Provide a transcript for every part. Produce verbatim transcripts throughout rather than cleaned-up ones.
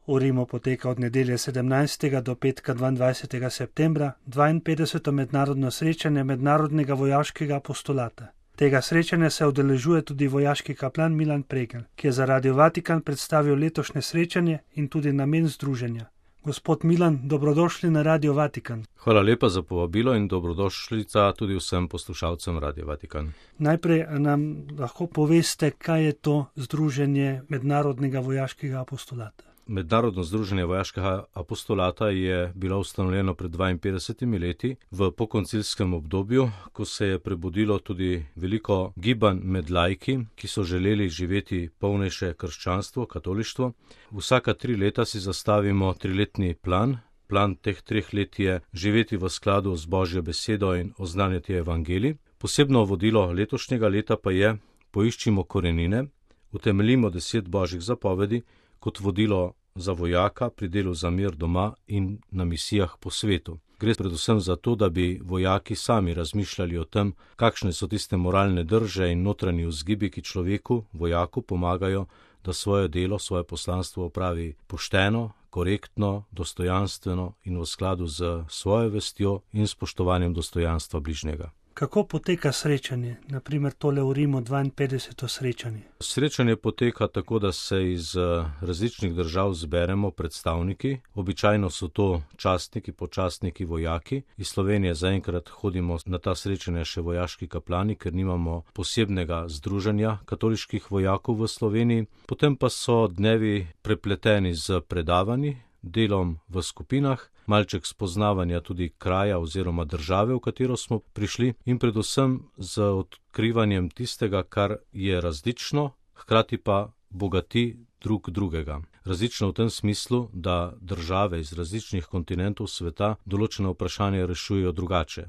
V Rimu poteka od nedelje sedemnajstega do petka dvaindvajsetega septembra dvainpetdeseto mednarodno srečanje Mednarodnega vojaškega apostolata. Tega srečanja se udeležuje tudi vojaški kaplan Milan Pregl, ki je za Radio Vatikan predstavil letošnje srečanje in tudi namen združenja. Gospod Milan, dobrodošli na Radio Vatikan. Hvala lepa za povabilo in dobrodošlica tudi vsem poslušalcem Radio Vatikan. Najprej nam lahko poveste, kaj je to Združenje Mednarodnega vojaškega apostolata. Mednarodno združenje vojaškega apostolata je bilo ustanovljeno pred dvainpetdesetimi leti v pokoncilskem obdobju, ko se je prebudilo tudi veliko gibanj med laiki, ki so želeli živeti polnejše krščanstvo, katolištvo. Vsaka tri leta si zastavimo triletni plan. Plan teh treh let je živeti v skladu z Božjo besedo in oznanjati evangelij. Posebno vodilo letošnjega leta pa je: poiščimo korenine, utemeljimo deset božjih zapovedi kot vodilo za vojaka pri delu za mir doma in na misijah po svetu. Gre predvsem za to, da bi vojaki sami razmišljali o tem, kakšne so tiste moralne drže in notranji vzgibi, ki človeku, vojaku, pomagajo, da svoje delo, svoje poslanstvo opravi pošteno, korektno, dostojanstveno in v skladu z svojo vestjo in spoštovanjem dostojanstva bližnjega. Kako poteka srečanje, naprimer tole v Rimu dvainpetdeseto srečanje? Srečanje poteka tako, da se iz različnih držav zberemo predstavniki. Običajno so to častniki, počastniki, vojaki. Iz Slovenije zaenkrat hodimo na ta srečanja še vojaški kaplani, ker nimamo posebnega združenja katoliških vojakov v Sloveniji. Potem pa so dnevi prepleteni z predavanji, delom v skupinah, malček spoznavanja tudi kraja oziroma države, v katero smo prišli, in predvsem z odkrivanjem tistega, kar je različno, hkrati pa bogati drug drugega. Različno v tem smislu, da države iz različnih kontinentov sveta določena vprašanja rešujejo drugače.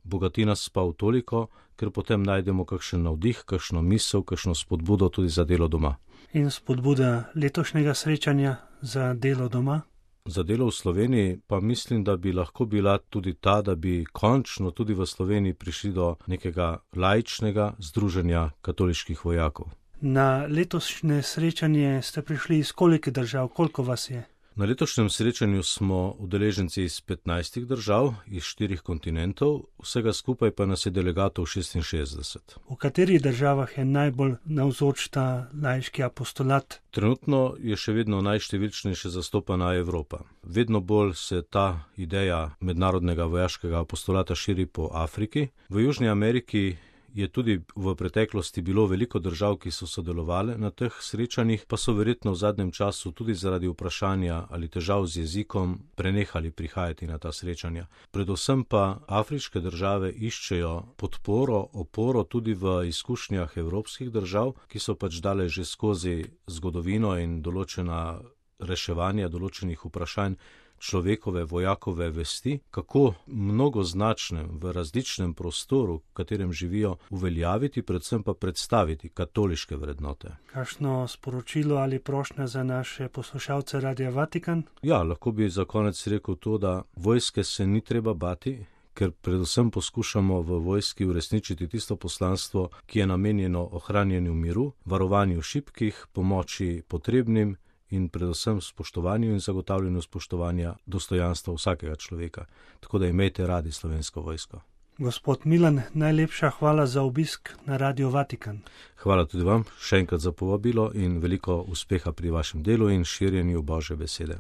Bogati nas pa v toliko, ker potem najdemo kakšen navdih, kakšno misel, kakšno spodbudo tudi za delo doma. In spodbuda letošnjega srečanja za delo doma? Za delo v Sloveniji pa mislim, da bi lahko bila tudi ta, da bi končno tudi v Sloveniji prišli do nekega laičnega združenja katoliških vojakov. Na letošnje srečanje ste prišli iz koliko držav, koliko vas je? Na letošnjem srečanju smo udeleženci iz petnajstih držav, iz štirih kontinentov, vsega skupaj pa nas je delegatov šestinšestdeset. V katerih državah je najbolj navzoč ta laiški apostolat? Trenutno je še vedno najštevilčnejše zastopana Evropa. Vedno bolj se ta ideja mednarodnega vojaškega apostolata širi po Afriki. V Južni Ameriki je tudi v preteklosti bilo veliko držav, ki so sodelovali na teh srečanjih, pa so verjetno v zadnjem času tudi zaradi vprašanja ali težav z jezikom prenehali prihajati na ta srečanja. Predvsem pa afriške države iščejo podporo, oporo tudi v izkušnjah evropskih držav, ki so pač dale že skozi zgodovino in določena reševanja določenih vprašanj človekove, vojakove vesti, kako mnogoznačnem v različnem prostoru, v katerem živijo, uveljaviti, predvsem pa predstaviti katoliške vrednote. Kakšno sporočilo ali prošnja za naše poslušalce Radia Vatikan? Ja, lahko bi za konec rekel to, da vojske se ni treba bati, ker predvsem poskušamo v vojski uresničiti tisto poslanstvo, ki je namenjeno ohranjanju miru, varovanju šibkih, pomoči potrebnim in predvsem spoštovanju in zagotavljanju spoštovanja dostojanstva vsakega človeka. Tako da imejte radi Slovensko vojsko. Gospod Milan, najlepša hvala za obisk na Radio Vatikan. Hvala tudi vam, še enkrat za povabilo in veliko uspeha pri vašem delu in širjenju Božje besede.